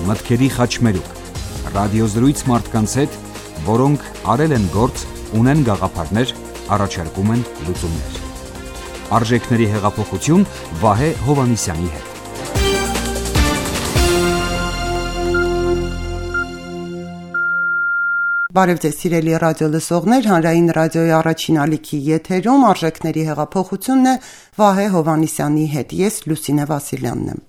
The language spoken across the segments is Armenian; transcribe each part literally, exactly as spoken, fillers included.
մտքերի խաչմերուկ, ռադիոզրույց մարդկանց հետ, որոնք արել են գործ, ունեն գաղափարներ, առաջարկում են լուծումներ։ Արժեքների հեղափոխություն Վահե Հովհաննիսյանի հետ։ Բարև ձեզ սիրելի ռադիո լսողներ, հանրային ռադիոյի առաջին ալիքի եթերում արժեքների հեղափոխությունն է Վահե Հովհաննիսյանի հետ, ես Լուսինե Վասիլյանն եմ։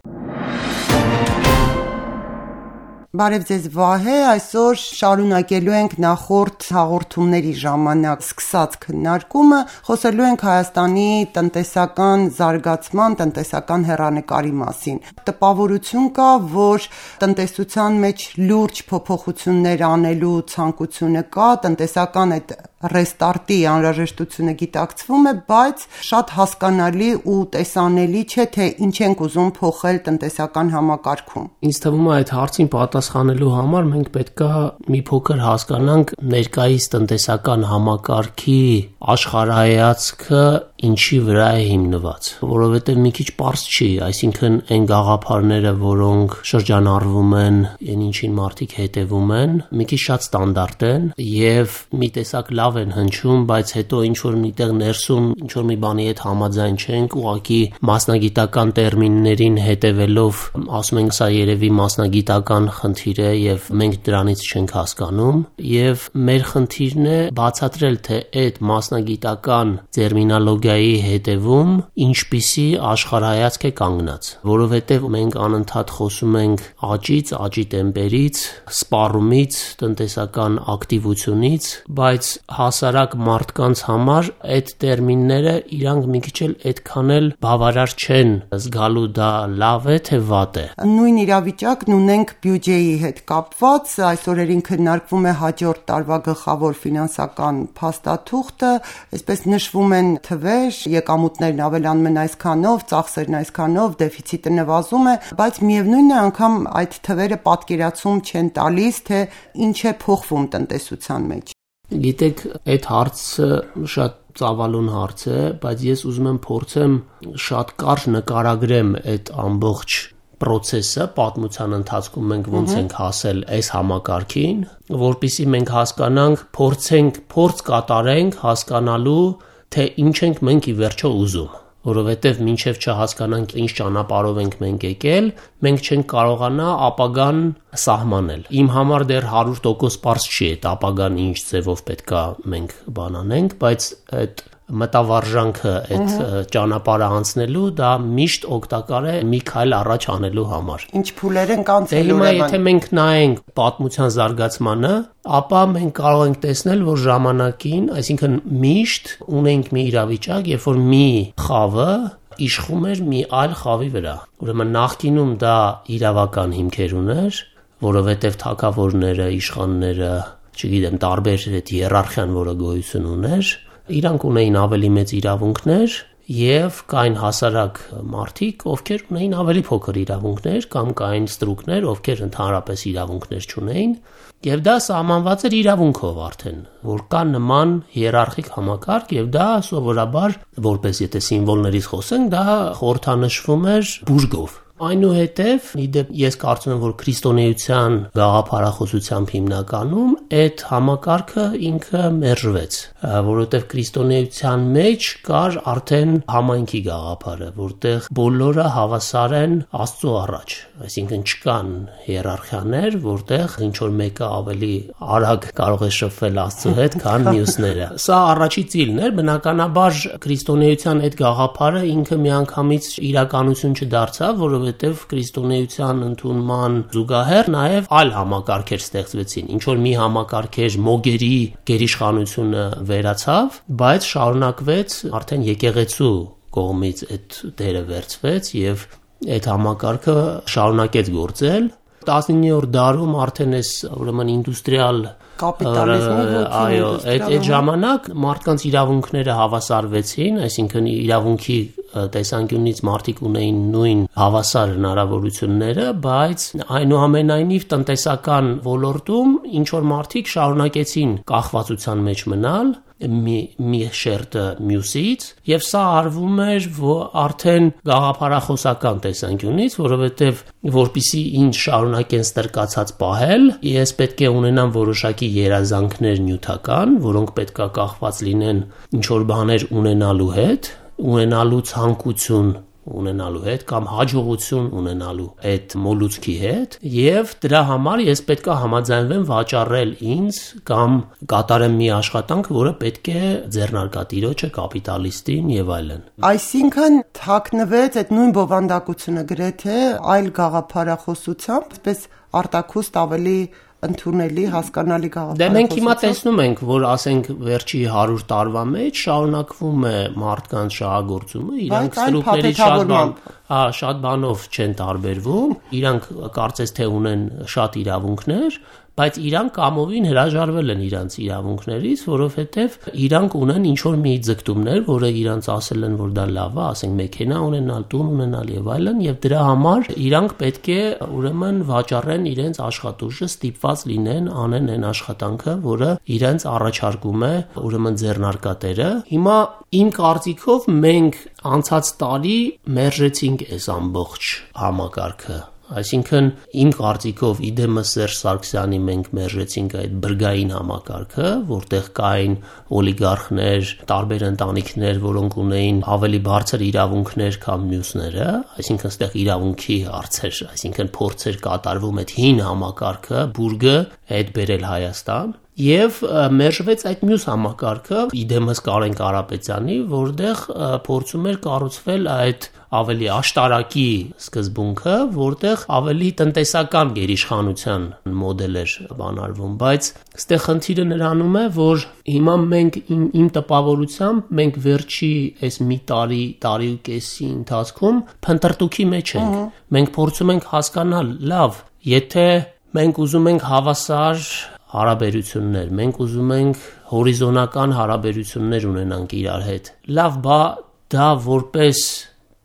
Բարև ձեզ Վահե, այսօր շարունակելու ենք նախորդ հաղորդումների ժամանակ սկսած քննարկումը, խոսելու ենք Հայաստանի տնտեսական զարգացման, տնտեսական հեռանկարի մասին։ Տպավորություն կա, որ տնտեսության մեջ լուրջ փոփոխություններ անելու ցանկությունը կա, տնտեսական այդ ռեստարտի անհրաժեշտությունը գիտակցվում է, բայց շատ հասկանալի ու տեսանելի չէ, թե ինչ ենք ուզում փոխել տնտեսական համակարգում։ Ինձ թվում է այդ հարցին պատասխանելու համար մենք պետք է մի փոքր հասկանանք ներկայիս տնտեսական համակարգի աշխարհայացքը ինչի վրա է հիմնված, որովհետև մի քիչ պարզ չի, այսինքն այն գաղափարները, որոնք շրջանառվում են, այն ինչին մարդիկ հետևում են, մի քիչ շատ ստանդարտ են եւ մի տեսակ լավ են հնչում, բայց հետո ինչ որ միտեղ ներսում ինչ որ մի բանի հետ համաձայն չենք, ուղղակի մասնագիտական տերմիններին հետևելով ասում ենք սա երևի մասնագիտական խնդիր է եւ մենք դրանից չենք հասկանում եւ մեր խնդիրն է բացատրել, թե այդ մասնագիտական տերմինոլոգիայի հետևում ինչպիսի աշխարհայացք է կանգնած, որովհետեւ մենք անընդհատ խոսում ենք աճից, աճի տեմպերից, սպառումից, տնտեսական ակտիվությունից, բայց հասարակ մարդկանց համար այդ տերմինները իրանք մի քիչ էլ այդքան էլ բավարար չեն զգալու դա լավ է թե վատ է։ Նույն իրավիճակն ունենք բյուջեի հետ կապված, այս օրերին քննարկվում է հաջորդ տարվա գլխավոր ֆինանսական փաստաթուղթը, այսպես նշվում են թվեր, եկամուտներն ավելանում են այսքանով, ծախսերն այսքանով, դեֆիցիտը նվազում է, բայց միևնույնն է անգամ այդ թվերը պատկերացում չեն տալիս, թե ինչ է փոխվում տնտեսության մեջ։ Գիտեք, այդ հարցը շատ ծավալուն հարց է, բայց ես ուզում եմ փորձեմ շատ կարճ նկարագրեմ այդ ամբողջ process-ը, պատմության ընթացքում մենք ոնց ենք հասել այս համակարգին, որpիսի մենք հասկանանք, փորձենք, փորձ կատարենք հասկանալու, թե ինչ ենք մենք ի վերջո ուզում, որովհետև մինչև չհասկանանք ինչ ճանապարհով ենք մենք եկել, մենք չենք կարողանա ապագան սահմանել։ Իմ համար դեռ հարյուր տոկոս պարզ չի այդ ապագան ինչ ձևով պետքա մենք բան անենք, բայց այդ մտավարժանքը այդ ճանապարհը անցնելու դա միշտ օգտակար է մի քայլ առաջ անելու համար։ Ինչ փուլեր են կանցել ուրեմն։ Եթե մենք նայենք պատմության զարգացմանը, ապա մենք կարող ենք տեսնել, որ ժամանակին, այսինքն միշտ ունենք մի իրավիճակ, երբ որ մի խավը իշխում էր մի այլ խավի վրա։ Ուրեմն նախկինում դա իրավական հիմքեր ուներ, որովհետև թագավորները, իշխանները, չգիտեմ, տարբեր այդ հիերարխիան, որը գոյություն ուներ, իրանք ունեին ավելի մեծ իրավունքներ եւ կային հասարակ մարդիկ, ովքեր ունեին ավելի փոքր իրավունքներ կամ կային ստրուկներ, ովքեր ընդհանրապես իրավունքներ չունեին եւ դա սահմանված էր իրավունքով արդեն, որ կա նման հիերարխիկ համակարգ եւ դա սովորաբար, որպես եթե սիմվոլներից խոսենք, դա խորհրդանշվում էր բուժգով։ Այնուհետև իդեպ ես կարծում եմ, որ քրիստոնեության գաղափարախոսությամբ հիմնականում այդ համակարգը ինքը մերժվեց, որովհետև քրիստոնեության մեջ կար արդեն համայնքի գաղափարը, որտեղ բոլորը հավասար են Աստծո առաջ, այսինքն չկան հիերարխիաներ, որտեղ ինչ որ մեկը ավելի արագ կարող է շփվել Աստծո հետ, քան մյուսները։ Սա առաջի ծիլն էր, բնականաբար քրիստոնեության այդ գաղափարը ինքը միանգամից իրականություն չդարձավ, որովհետև որովհետև քրիստոնեության ընդունման զուգահեռ նաև այլ համակարգեր ստեղծվեցին, ինչ որ մի համակարգեր մոգերի գերիշխանությունը վերացավ, բայց շարունակվեց արդեն եկեղեցու կողմից այդ դերը վերցվեց եւ այդ համակարգը շարունակեց գործել։ տասնիններորդ դարում արդեն այս ուրեմն ինդուստրիալ կապիտալիզմի այո, այդ այդ ժամանակ մարդկանց իրավունքները հավասարվեցին, այսինքն իրավունքի տեսանկյունից մարդիկ ունեին նույն հավասար հնարավորությունները, բայց այնուամենայնիվ տնտեսական ոլորտում ինչ որ մարդիկ շարունակեցին կախվածության մեջ մնալ մի մի շերտը մյուսից, եւ սա արվում էր արդեն գաղափարախոսական տեսանկյունից, որովհետեւ որպիսի ինչ շարունակեն ստրկացած պահել, ես պետք է ունենամ որոշակի երազանքներ նյութական, որոնք պետքա կախված լինեն ինչ որ բաներ ունենալու հետ, ունենալու ցանկություն ունենալու հետ կամ հաջողություն ունենալու այդ մոլուցքի հետ եւ դրա համար ես պետքա համաձայնվեմ վաճառել ինձ կամ կատարեմ մի աշխատանք, որը պետք է ձեռնարկատիրոջը, կապիտալիստին եւ այլն։ Այսինքն թաքնվեց այդ նույն բովանդակությունը գրեթե այլ գաղափարախոսությամբ, այսպես արտաքուստ ավելի ընդունելի, հասկանալի գաղափարախոսություն։ Դե մենք հիմա տեսնում ենք, որ ասենք վերջի հարյուր տարվա մեջ շարունակվում է մարդկանց շահագործումը, իրանք ստրուկների շատ բան, հա, շատ բանով չեն տարբերվում, իրանք կարծես թե ունեն շատ իրավունքներ, բայց իրանք կամովին հրաժարվել են իրանց իրավունքներից, որովհետև իրանք ունեն ինչ-որ մի ձգտումներ, որը իրանց ասել են, որ դա լավ է, ասենք մեքենա ունենալ, տուն ունենալ եւ այլն, եւ դրա համար իրանք պետք է ուրեմն վաճառեն իրենց աշխատուժը, ստիպված լինեն անեն այն աշխատանքը, որը իրենց առաջարկում է ուրեմն ձեռնարկատերը։ Հիմա իմ կարծիքով մենք անցած տարի մերժեցինք այս ամբողջ համակարգը։ Այսինքն իմ կարծիքով իդեմս Սերժ Սարգսյանի մենք մերժեցինք այդ բրգային համակարգը, որտեղ կային օլիգարխներ, տարբեր ընտանիքներ, որոնք ունեին ավելի բարձր իրավունքներ, քան մյուսները, այսինքն այստեղ իրավունքի հարցեր, այսինքն փորձեր կատարվում այդ հին համակարգը, բուրգը այդ բերել Հայաստան։ Եվ մերժվեց այդ մյուս համակարգը, իդեմս Կարեն Կարապետյանի, որտեղ փորձում էր կառուցվել այդ ավելի աշտարակի սկզբունքը, որտեղ ավելի տնտեսական գերիշխանության մոդել էր բանարվում, բայց այստեղ խնդիրը նրանում է, որ հիմա մենք իմ, իմ տպավորությամբ մենք վերջի այս մի տարի, տարի ու կեսի ընթացքում փնտրտուքի մեջ ենք։ Մենք փորձում ենք հասկանալ, լավ, եթե մենք ուզում ենք հավասար հարաբերություններ, մենք ուզում ենք հորիզոնական հարաբերություններ ունենանք իրար հետ։ Լավ, բա դա որպես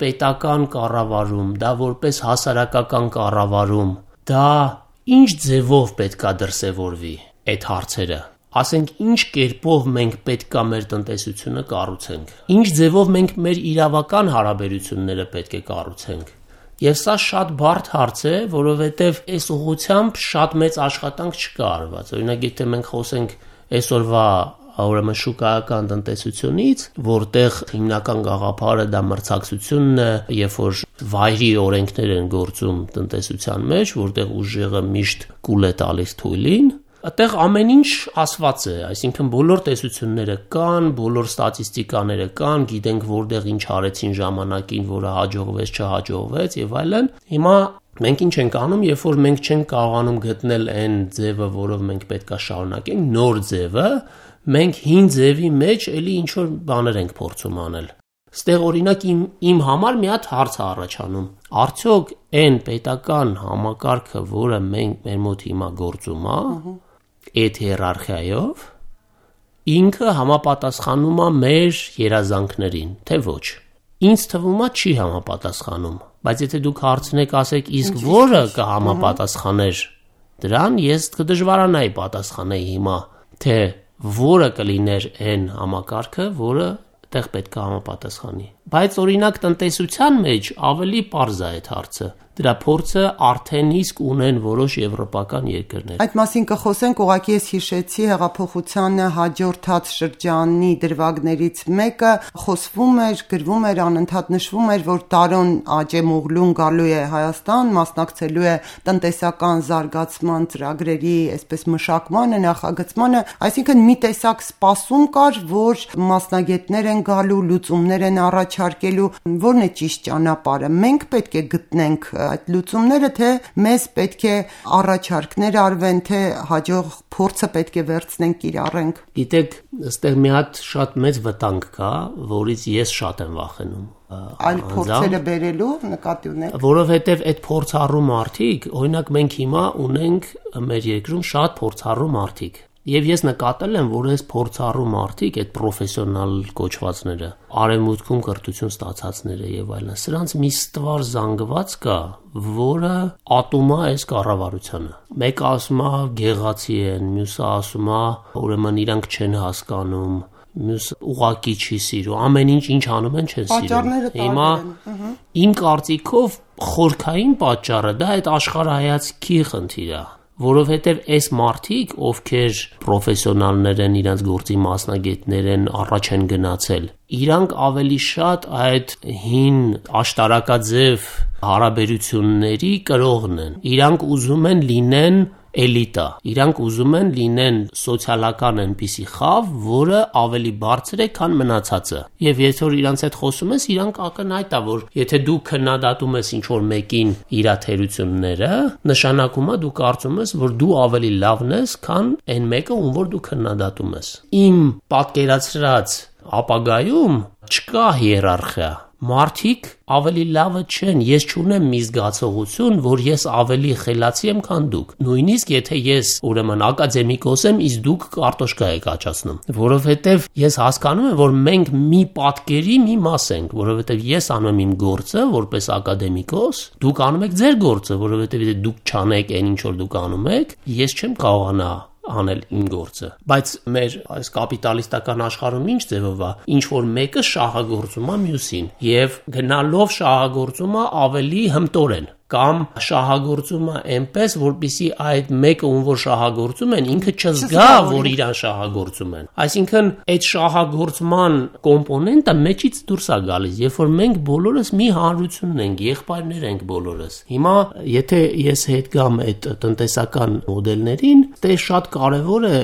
պետական կառավարում, դա որպես հասարակական կառավարում, դա ինչ ձևով պետքա դրսևորվի այդ հարցերը։ Ասենք ինչ կերպով մենք պետքա մեր տնտեսությունը կառուցենք։ Ինչ ձևով մենք մեր իրավական հարաբերությունները պետք է կառուցենք։ Եվ սա շատ բարդ հարց է, որովհետև այս ուղղությամբ շատ մեծ աշխատանք չկա արված։ Օրինակ, եթե մենք խոսենք այսօրվա ուրեմն շուկայական տնտեսությունից, որտեղ հիմնական գաղափարը դա մրցակցությունն է, երբ որ վայրի օրենքներ են գործում տնտեսության մեջ, որտեղ ուժեղը միշտ կուլ է տալիս թույլին, այդտեղ ամեն ինչ ասված է, այսինքն բոլոր տեսությունները կան, բոլոր ստատիստիկաները կան, գիտենք որտեղ ինչ արեցին ժամանակին, որը հաջողվեց, չհաջողվեց եւ այլն։ Հիմա մենք ինչ ենք անում, երբ որ մենք չենք կարողանում գտնել այն ձևը, որով մենք պետքա շարունակենք, նոր ձևը, մենք հին ձևի մեջ էլի ինչ որ բաներ ենք փորձում անել։ Ստեղ օրինակ իմ իմ համար մի հատ հարց է առաջանում։ Արդյոք այն պետական համակարգը, որը մենք մեր մոտ հիմա գործում է, այդ հիերարխիայով ինքը համապատասխանում է մեր երազանքներին, թե ոչ։ Ինձ թվում է չի համապատասխանում, բայց եթե դուք հարցնեք, ասեք, իսկ որը կհամապատասխաներ դրան, ես կդժվարանայի պատասխանել հիմա, թե որը կլիներ այն համակարգը, որը տեղ պետք է համապատասխանի։ Բայց օրինակ տնտեսության մեջ ավելի պարզ է այդ հարցը։ Դրա փորձը արդեն իսկ ունեն որոշ եվրոպական երկրներ։ Այդ մասին կխոսենք, ուղղակի ես հիշեցի հեղափոխությանը հաջորդած շրջանի դրվագներից մեկը, խոսվում էր, գրվում էր, անընդհատ նշվում էր, որ Տարոն Աջեմօղլուն գալու է Հայաստան, մասնակցելու է տնտեսական զարգացման ծրագրերի, այսպես մշակմանը, նախագծմանը, այսինքն մի տեսակ սպասում կար, որ մասնագետներ են գալու, լուծումներ են առաջարկելու, որն է ճիշտ ճանապարհը։ Մենք պետք է գտնենք այդ լուծումները, թե մեզ պետք է առաջարկներ արվեն, թե հաջող փորձը պետք է վերցնենք, կիրառենք։ Գիտեք, այստեղ մի հատ շատ մեծ վտանգ կա, որից ես շատ եմ վախենում։ Այլ փորձերը բերելու նկատի ունեք։ Որովհետև այդ փորձառու մարդիկ, օրինակ մենք հիմա ունենք մեր երկրում շատ փորձառու մարդիկ։ Եվ ես նկատել եմ, որ այս փորձառու մարդիկ, այդ պրոֆեսիոնալ կոչվածները, արևմուտքում կրթություն ստացածները եւ այլն, սրանց մի ստվար զանգված կա, որը ատում է այս կառավարությանը։ Մեկը ասում է գեղացի են, մյուսը ասում է ուրեմն իրանք չեն հասկանում, մյուս ուղակի չի սիրում, ամեն ինչ ինչ անում են չեն սիրում։ Պատճառները տարբեր են։ Իմ կարծիքով խորքային պատճառը դա այդ աշխարհայացքի խնդիրը, որովհետև այս մարդիկ, ովքեր պրոֆեսիոնալներ են, իրենց գործի մասնագետներ են, առաջ են գնացել, իրանք ավելի շատ այդ հին աշտարակաձև հարաբերությունների կրողն են։ Իրանք ուզում են լինեն էլիտա, իրանք ուզում են լինեն սոցիալական այնպիսի խավ, որը ավելի բարձր է, քան մնացածը։ Եվ եթե որ իրանց հետ խոսում ես, իրանք ակնհայտ է, որ եթե դու քննադատում ես ինչ-որ մեկին իր թերությունները, նշանակում է դու կարծում ես, որ դու ավելի լավն ես, քան այն մեկը, ում որ դու քննադատում ես։ Իմ պատկերացրած ապագայում չկա հիերարխիա։ Մարդիկ ավելի լավը չեն, ես չունեմ մի զգացողություն, որ ես ավելի խելացի եմ, քան դուք։ Նույնիսկ եթե ես ուրեմն ակադեմիկոս եմ, իսկ դուք կարտոշկա եք աճացնում, որովհետև ես հասկանում եմ, որ մենք մի պատկերի մի մաս ենք, որովհետև ես անում եմ իմ գործը որպես ակադեմիկոս, դուք անում եք ձեր գործը, որովհետև եթե դուք չանեք այն ինչ որ դուք անում եք, ես չեմ կարողանա անել իմ գործը։ Բայց մեր այս կապիտալիստական աշխարհում ինչ ձևով է, ինչ որ մեկը շահագործում է մյուսին եւ գնալով շահագործում է ավելի հմտորեն կամ շահագործում է այնպես, որպեսզի այդ մեկը ում որ շահագործում են, ինքը չզգա, որ իրան շահագործում են։ Այսինքն այդ շահագործման կոմպոնենտը մեջից դուրս է գալիս, երբ որ մենք բոլորս մի հանրություն ենք, եղբայրներ ենք բոլորս։ Հիմա եթե ես հետ գամ այդ տնտեսական մոդելներին, դե շատ կարևոր է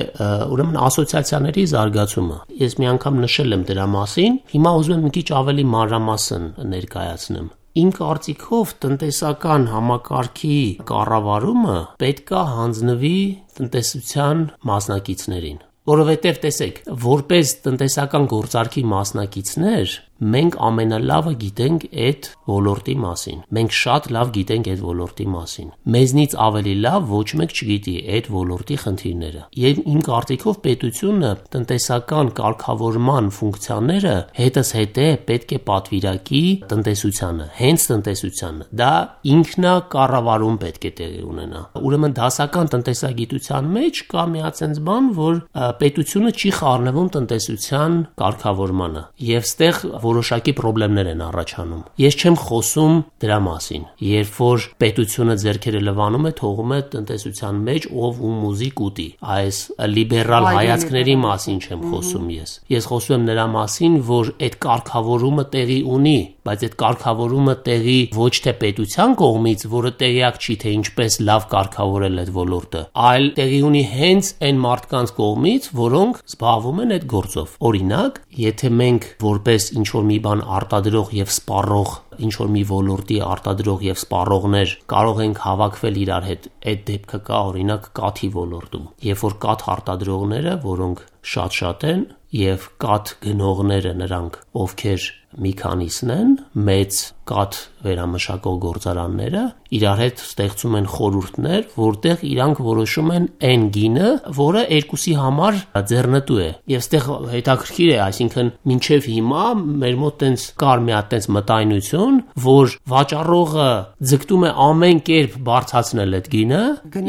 ուրեմն ասոցիացիաների զարգացումը։ Ես մի անգամ նշել եմ դրա մասին, հիմա ուզում եմ մի քիչ ավելի մանրամասն ներկայացնեմ։ Իմ կարծիքով տնտեսական համակարգի կառավարումը պետքա հանձնվի տնտեսության մասնակիցներին, որովհետև տեսեք, որպես տնտեսական գործարքի մասնակիցներ մենք ամենալավը գիտենք այդ ոլորտի մասին։ Մենք շատ լավ գիտենք այդ ոլորտի մասին։ Մեզնից ավելի լավ ոչ մեկ չգիտի այդ ոլորտի խնդիրները։ Եվ իմ կարծիքով պետությունը տնտեսական կարգավորման ֆունկցիաները հետզհետե պետք է պատվիրակի տնտեսությանը, հենց տնտեսությանը։ Դա ինքնակառավարում պետք է տեղի ունենա։ Ուրեմն դասական տնտեսագիտության մեջ կա մի հատ բան, որ պետությունը չի խառնվում տնտեսության կարգավորմանը։ Եվ ստեղ որոշակի խնդիրներ են առաջանում։ Ես չեմ խոսում դրա մասին։ Երբ որ պետությունը ձեռքերը լվանում է, թողում է տնտեսության մեջ ով ում ուզի կուտի։ Այս լիբերալ հայացքների մասին չեմ խոսում ես։ Ես խոսում եմ նրա մասին, որ այդ կարգավորումը տեղի ունի, բայց այդ կարգավորումը տեղի ոչ թե պետության կողմից, որը տեղյակ չի թե ինչպես լավ կարգավորել այդ ոլորտը, այլ տեղի ունի հենց այն մարդկանց կողմից, որոնք զբաղվում են այդ գործով։ Օրինակ, եթե մենք որպես ինչ որ մի բան արտադրող եւ սպառող, ինչ որ մի ոլորտի արտադրող եւ սպառողներ կարող ենք հավաքվել իրար հետ, այդ դեպքը կա օրինակ կաթի ոլորտում։ Երբ որ կաթ արտադրողները, որոնք շատ-շատ են, եւ կաթ գնողները նրանք, ովքեր մի քանիսն են, մեծ կաթ վերամշակող գործարանները իրար հետ ստեղծում են խորհուրդներ, որտեղ իրանք որոշում են այն գինը, որը երկուսի համար ձեռնտու է։ Եվ ստեղ հետաքրքիր է, այսինքն մինչև հիմա մեր մոտ տենց կար մի հատ տենց մտայնություն, որ վաճառողը ձգտում է ամեն կերպ բարձրացնել այդ գինը,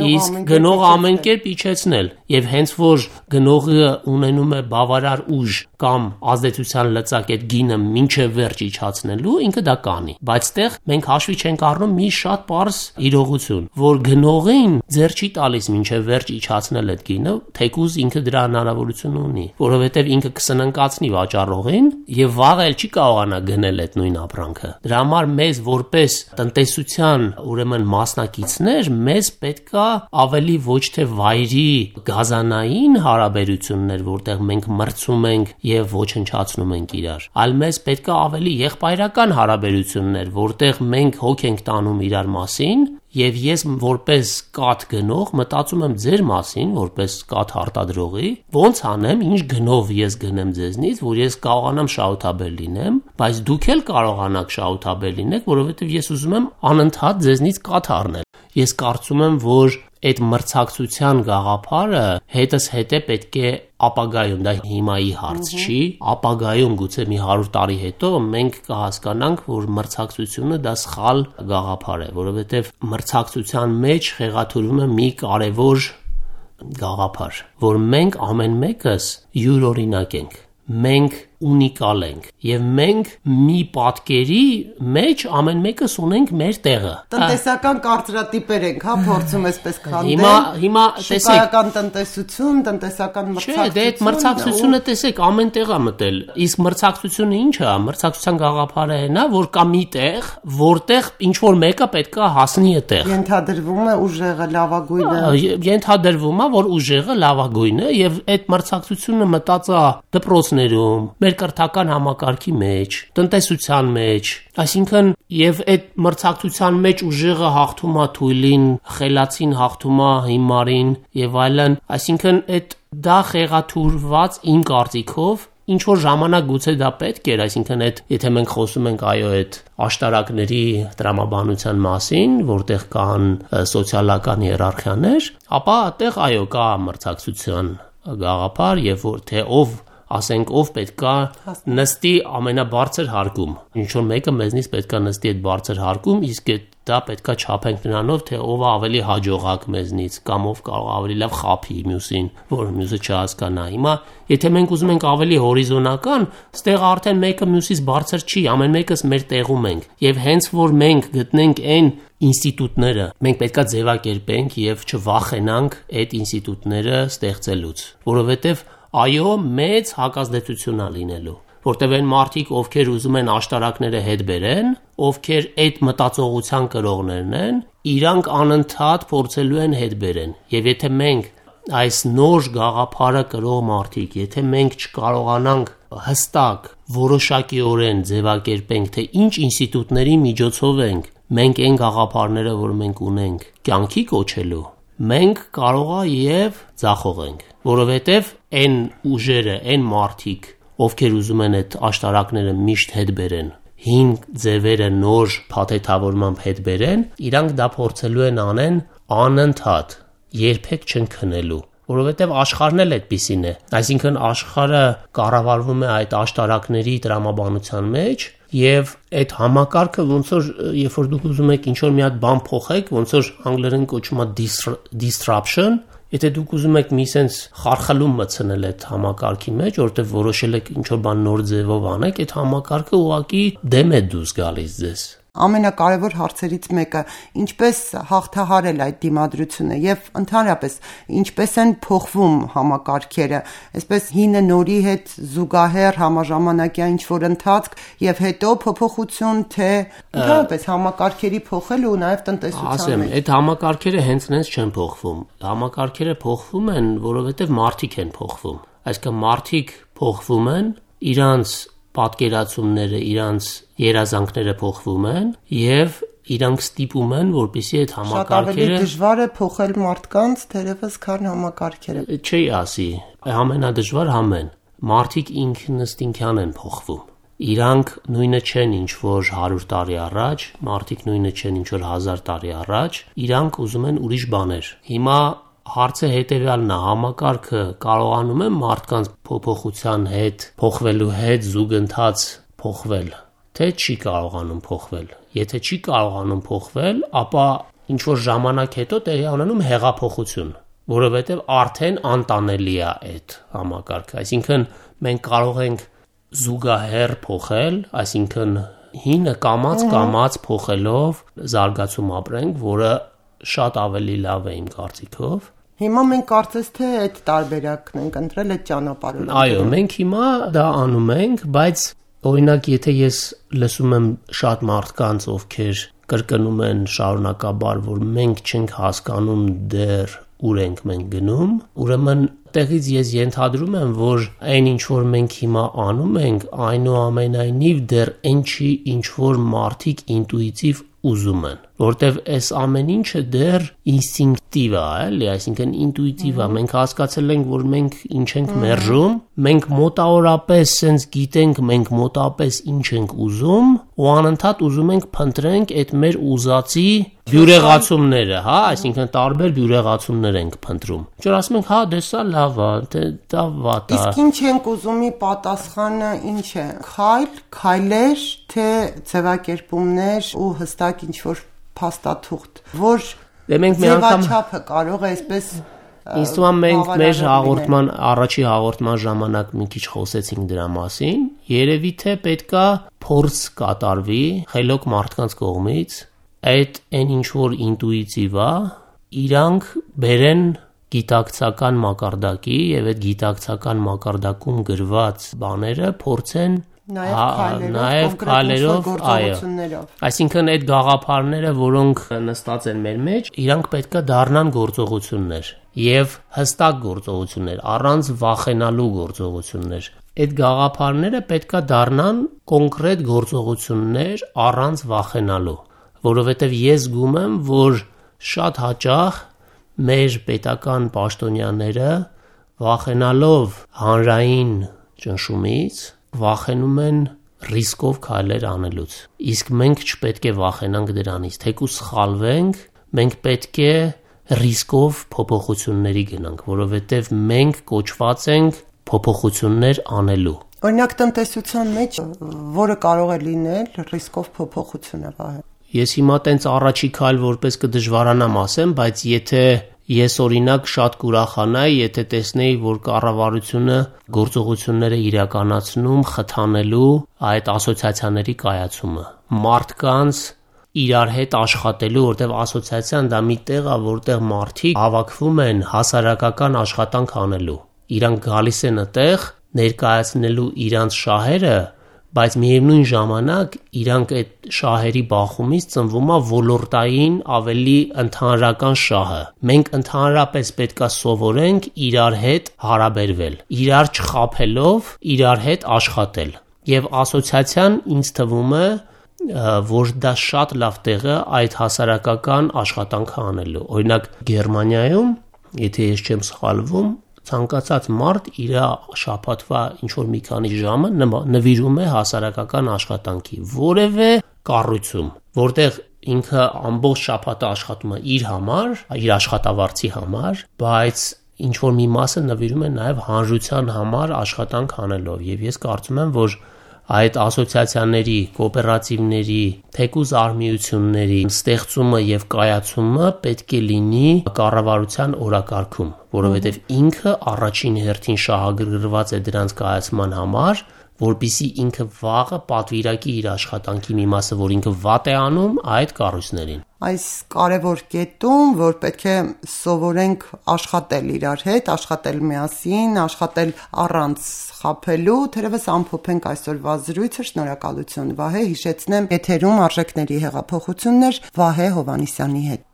իսկ գնողը ամեն կերպ իջեցնել։ Եվ հենց որ գնողը ունենում է բավարար ուժ կամ ազդեցության լծակ այդ գինը մինչև վերջ իջացնելու, ինքը դա կանի։ Բայց ստեղ մենք հաշվի չենք առնում մի շատ պարզ իրողություն, որ գնողին ձեռ չի տալիս մինչև վերջ իջացնել այդ գինը, թեկուզ ինքը դրա հնարավորություն ունի, որովհետև ինքը կսննկացնի վաճառողին եւ վաղ էլ չի կարողանա գնել այդ նույն ապրանքը։ Դրա համար մեզ որպես տնտեսության ուրեմն մասնակիցներ, մեզ պետքա ավելի ոչ թե վայրի գազանային հարաբերություններ, որտեղ մենք մրցում ենք եւ ոչնչացնում ենք իրար, այլ մեզ պետքա ավելի եղբայրական հարաբերություններ, որտեղ մենք հոգ ենք տանում իրար մասին, եւ ես որպես կաթ գնող մտածում եմ ձեր մասին, որպես կաթ արտադրողի, ոնց անեմ, ինչ գնով ես գնեմ ձեզնից, որ ես կարողանամ շահութաբեր լինեմ, բայց դուք էլ կարողանաք շահութաբեր լինեք, որովհետեւ ես ուզում եմ անընդհատ ձեզնից կաթ առնել։ Ես կարծում եմ, որ այդ մրցակցության գաղափարը հետս հետե պետք է ապագայում, դա հիմայի հարց չի, ապագայում գուցե մի հարյուր տարի հետո մենք կհասկանանք, որ մրցակցությունը դա սխալ գաղափար է, որովհետև մրցակցության մեջ խեղաթյուրում է մի կարևոր գաղափար, որ մենք ամեն մեկս յուրօրինակ ենք։ մենք ունիկալ ենք եւ մենք մի պատկերի մեջ ամեն մեկս ունենք մեր տեղը։ Տնտեսական կարծրատիպեր ենք, հա, փորձում այսպես քանդել։ Հիմա հիմա տեսեք, շուկայական տնտեսություն, տնտեսական մրցակցություն։ Չէ, դե այդ մրցակցությունը տեսեք ամեն տեղ է մտել։ Իսկ մրցակցությունը ինչ է? Մրցակցության գաղափարը այն է, որ կա մի տեղ, որտեղ ինչ որ մեկը պետքա հասնի այդտեղ։ Ենթադրվում է ուժեղը լավագույնը։ Ենթադրվում է, որ ուժեղը լավագույնն է եւ այդ մրցակցությունը մտած է դպրոցներում, մեր կրթական համակարգի մեջ, տնտեսության մեջ, այսինքն եւ այդ մրցակցության մեջ ուժեղը հաղթում է թույլին, խելացին հաղթում է հիմարին եւ այլն, այսինքն այդ դա խեղաթուրված իմ կարծիքով ինչ որ ժամանակ գուցե դա պետք էր, այսինքն այդ եթե մենք խոսում ենք այո այդ աշտարակների տրամաբանության մասին, որտեղ կան սոցիալական հիերարխիաներ, ապա այդտեղ այո կա մրցակցության գաղափար եւ որ թե ով ասենք ով պետքա նստի ամենաբարձր հարկում, ինչ որ մեկը մեզնից պետքա նստի այդ բարձր հարկում, իսկ դա պետքա չափենք նրանով, թե ով է ավելի հաջողակ մեզնից կամ ով կարող ավելի լավ խափի մյուսին, որ մյուսը չհասկանա։ Հիմա եթե մենք ուզում ենք ավելի հորիզոնական, ստեղ արդեն մեկը մյուսից բարձր չի, ամեն մեկս մեր տեղում ենք, եւ հենց որ մենք գտնենք այն ինստիտուտները, մենք պետքա ձևակերպենք եւ չվախենանք այդ ինստիտուտները ստեղծելուց, որովհետեւ այո, մեծ հակազդեցություն է լինելու, որտեղ այն մարդիկ, ովքեր ուզում են աշտարակները հետ բերեն, ովքեր այդ մտածողության կրողներն են, իրանք անընդհատ փորձելու են հետ բերեն։ Եվ եթե մենք այս նոր գաղափարը կրող մարդիկ, եթե մենք չկարողանանք հստակ, որոշակիորեն ձևակերպենք, թե ինչ ինստիտուտների միջոցով ենք մենք այն գաղափարները, որ մենք ունենք, կյանքի կոչելու, մենք կարող է եւ ձախողենք, որովհետեւ այն ուժերը, այն մարդիկ, ովքեր ուզում են այդ աշտարակները միշտ հետ բերեն, հին ձևերը նոր փաթեթավորմամբ հետ բերեն, իրանք դա փորձելու են անեն անընդհատ, երբեք չեն քնելու, որովհետև աշխարհն էլ այդպիսին է, այսինքն աշխարհը կառավարվում է այդ աշտարակների տրամաբանության մեջ եւ այդ համակարգը ոնց որ երբ որ դուք ուզում եք ինչ որ մի հատ բան փոխեք, ոնց որ անգլերեն կոչվում է disruption, եթե դուք ուզում եք մի sense խարխլում մտցնել այդ համակարգի մեջ, որովհետեւ որոշել եք ինչ որ բան նոր ձևով անեք, այդ համակարգը ուղղակի դեմ է դուրս գալիս ձեզ։ Ամենակարևոր հարցերից մեկը ինչպես հաղթահարել այդ դիմադրությունը եւ ընդհանրապես ինչպես են փոխվում համակարգերը, այսպես հինը նորի հետ զուգահեռ համաժամանակյա ինչ որ ընթացք եւ հետո փոփոխություն, թե ընդհանրապես համակարգերի փոխելը ու նաեւ տնտեսության Ասեմ, այդ համակարգերը հենց նենց չեն փոխվում։ Համակարգերը փոխվում են, որովհետեւ մարդիկ են փոխվում։ Այսինքն մարդիկ փոխվում են, իրանց պատկերացումները, իրանց երազանքները փոխվում են եւ իրանք ստիպում են, որպեսզի այդ համակարգերը շատ ավելի դժվար է փոխել մարդկանց, թերևս քան համակարգերը։ Չի ասի, ամենադժվար համեն։ Մարդիկ ինքնըստինքյան են փոխվում։ Իրանք նույնը չեն ինչ որ հարյուր տարի առաջ, մարդիկ նույնը չեն ինչ որ հազար տարի առաջ, իրանք ուզում են ուրիշ բաներ։ Հիմա հարցը հետևյալն է, համակարգը կարողանում է մարդկանց փոփոխության հետ, փոխվելու հետ զուգընթաց փոխվել, թե չի կարողանում փոխվել։ Եթե չի կարողանում փոխվել, ապա ինչ որ ժամանակ հետո տեղի ունենում հեղափոխություն, որովհետև արդեն անտանելի է այդ համակարգը։ Այսինքն մենք կարող ենք զուգահեռ փոխել, այսինքն հինը կամած կամած փոխելով զարգացում ապրենք, որը շատ ավելի լավ է իմ կարծիքով։ Հիմա մենք կարծես թե այդ տարբերակն ենք ընտրել այդ ճանապարհը։ Այո, մենք հիմա դա անում ենք, բայց օրինակ եթե ես լսում եմ շատ մարդկանց, ովքեր կրկնում են շարունակաբար, որ մենք չենք հասկանում դեռ ուր ենք մենք գնում, ուրեմն տեղից ես ենթադրում եմ, որ այն ինչ որ մենք հիմա անում ենք, այնուամենայնիվ դեռ այն չի, ինչ որ մարդիկ ինտուիտիվ ուզում են, որտեվ այս ամեն ինչը դեռ ինստինկտիվ է, էլի, այսինքն ինտուիտիվ է, մենք հասկացել ենք, որ մենք ինչ ենք մերժում, մենք մոտավորապես sense գիտենք, մենք մոտավորապես ինչ ենք ուզում, ու անընդհատ ուզում ենք փնտրենք այդ մեր ուզածի բյուրեղացումները, հա, այսինքն տարբեր բյուրեղացումներ ենք փնտրում։ Ինչ որ ասում ենք, հա, դե սա լավ է, դա վատ է։ Իսկ ինչ ենք ուզումի պատասխանը ինչ է։ Քայլ, քայլեր, թե ձևակերպումներ ու հստակ ինչ որ փաստաթուղթ, որ դե մենք մի անգամ ձևաչափը կարող է այսպես Ինձ թվում է մենք մեր հաղորդման առաջի հաղորդման ժամանակ մի քիչ խոսեցինք դրա մասին, երևի թե պետքա փորձ կատարվի խելոք մարդկանց կողմից այդ այն ինչ որ ինտուիտիվ է, իրանք բերեն գիտակցական մակարդակի եւ այդ գիտակցական մակարդակում գրված բաները փորձեն Նաև քայլերով, այո։ Այսինքն այդ գաղափարները, որոնք նստած են մեր մեջ, իրանք պետքա դառնան գործողություններ եւ հստակ գործողություններ, առանց վախենալու գործողություններ։ Այդ գաղափարները պետքա դառնան կոնկրետ գործողություններ առանց վախենալու, որովհետեւ ես զգում եմ, որ շատ հաճախ մեր պետական պաշտոնյաները վախենալով հանրային ճնշումից վախենում են ռիսկով քայլեր անելուց։ Իսկ մենք չպետք է վախենանք դրանից, թեկուզ սխալվենք, մենք պետք է ռիսկով փոփոխությունների գնանք, որովհետև մենք կոչված ենք փոփոխություններ անելու։ Օրինակ տնտեսության մեջ որը կարող է լինել ռիսկով փոփոխությունը, Վահե։ Ես հիմա տենց առաջի քայլ որպես կդժվարանամ ասեմ, բայց եթե ես օրինակ շատ կուրախանայի, եթե տեսնեի, որ կառավարությունը գործողությունները իրականացնում խթանելու այդ ասոցիացիաների կայացումը, մարդկանց իրար հետ աշխատելու, որտեղ ասոցիացիան դա մի տեղ է, որտեղ մարդիկ հավաքվում են հասարակական աշխատանք անելու։ Իրանք գալիս են այդտեղ ներկայացնելու իրանց շահերը, բայց միևնույն ժամանակ իրանք այդ շահերի բախումից ծնվում է ոլորտային ավելի ընդհանրական շահը։ Մենք ընդհանրապես պետքա սովորենք իրար հետ հարաբերվել, իրար չխաբելով, իրար հետ աշխատել։ Եվ ասոցիացիան ինձ թվում է, որ դա շատ լավ տեղ է այդ հասարակական աշխատանքը անելու։ Օրինակ Գերմանիայում, եթե ես չեմ սխալվում, ցանկացած մարդ իր շաբաթվա ինչ որ մի քանի ժամը նվիրում է հասարակական աշխատանքի, որևէ կառույցում, որտեղ ինքը ամբողջ շաբաթը աշխատում է իր համար, իր աշխատավարձի համար, բայց ինչ որ մի մասը նվիրում է նաև հանրության համար աշխատանք անելով։ Եվ ես կարծում եմ, որ այդ ասոցիացիաների, կոոպերատիվների, թեկուզ արմիությունների ստեղծումը եւ կայացումը պետք է լինի կառավարության օրակարգում, որովհետեւ ինքը առաջին հերթին շահագրգռված է դրանց կայացման համար, որպիսի ինքը վաղը պատվիրակի իր աշխատանքի մի մասը, որ ինքը վատ է անում այդ կառույցներին։ Այս կարևոր կետում, որ պետք է սովորենք աշխատել իրար հետ, աշխատել միասին, աշխատել առանց խաբելու, թերևս ամփոփենք այսօրվա զրույցը, շնորհակալություն Վահե, հիշեցնեմ եթերում արժեքների հեղափոխություններ Վահե Հովհաննիսյանի հետ։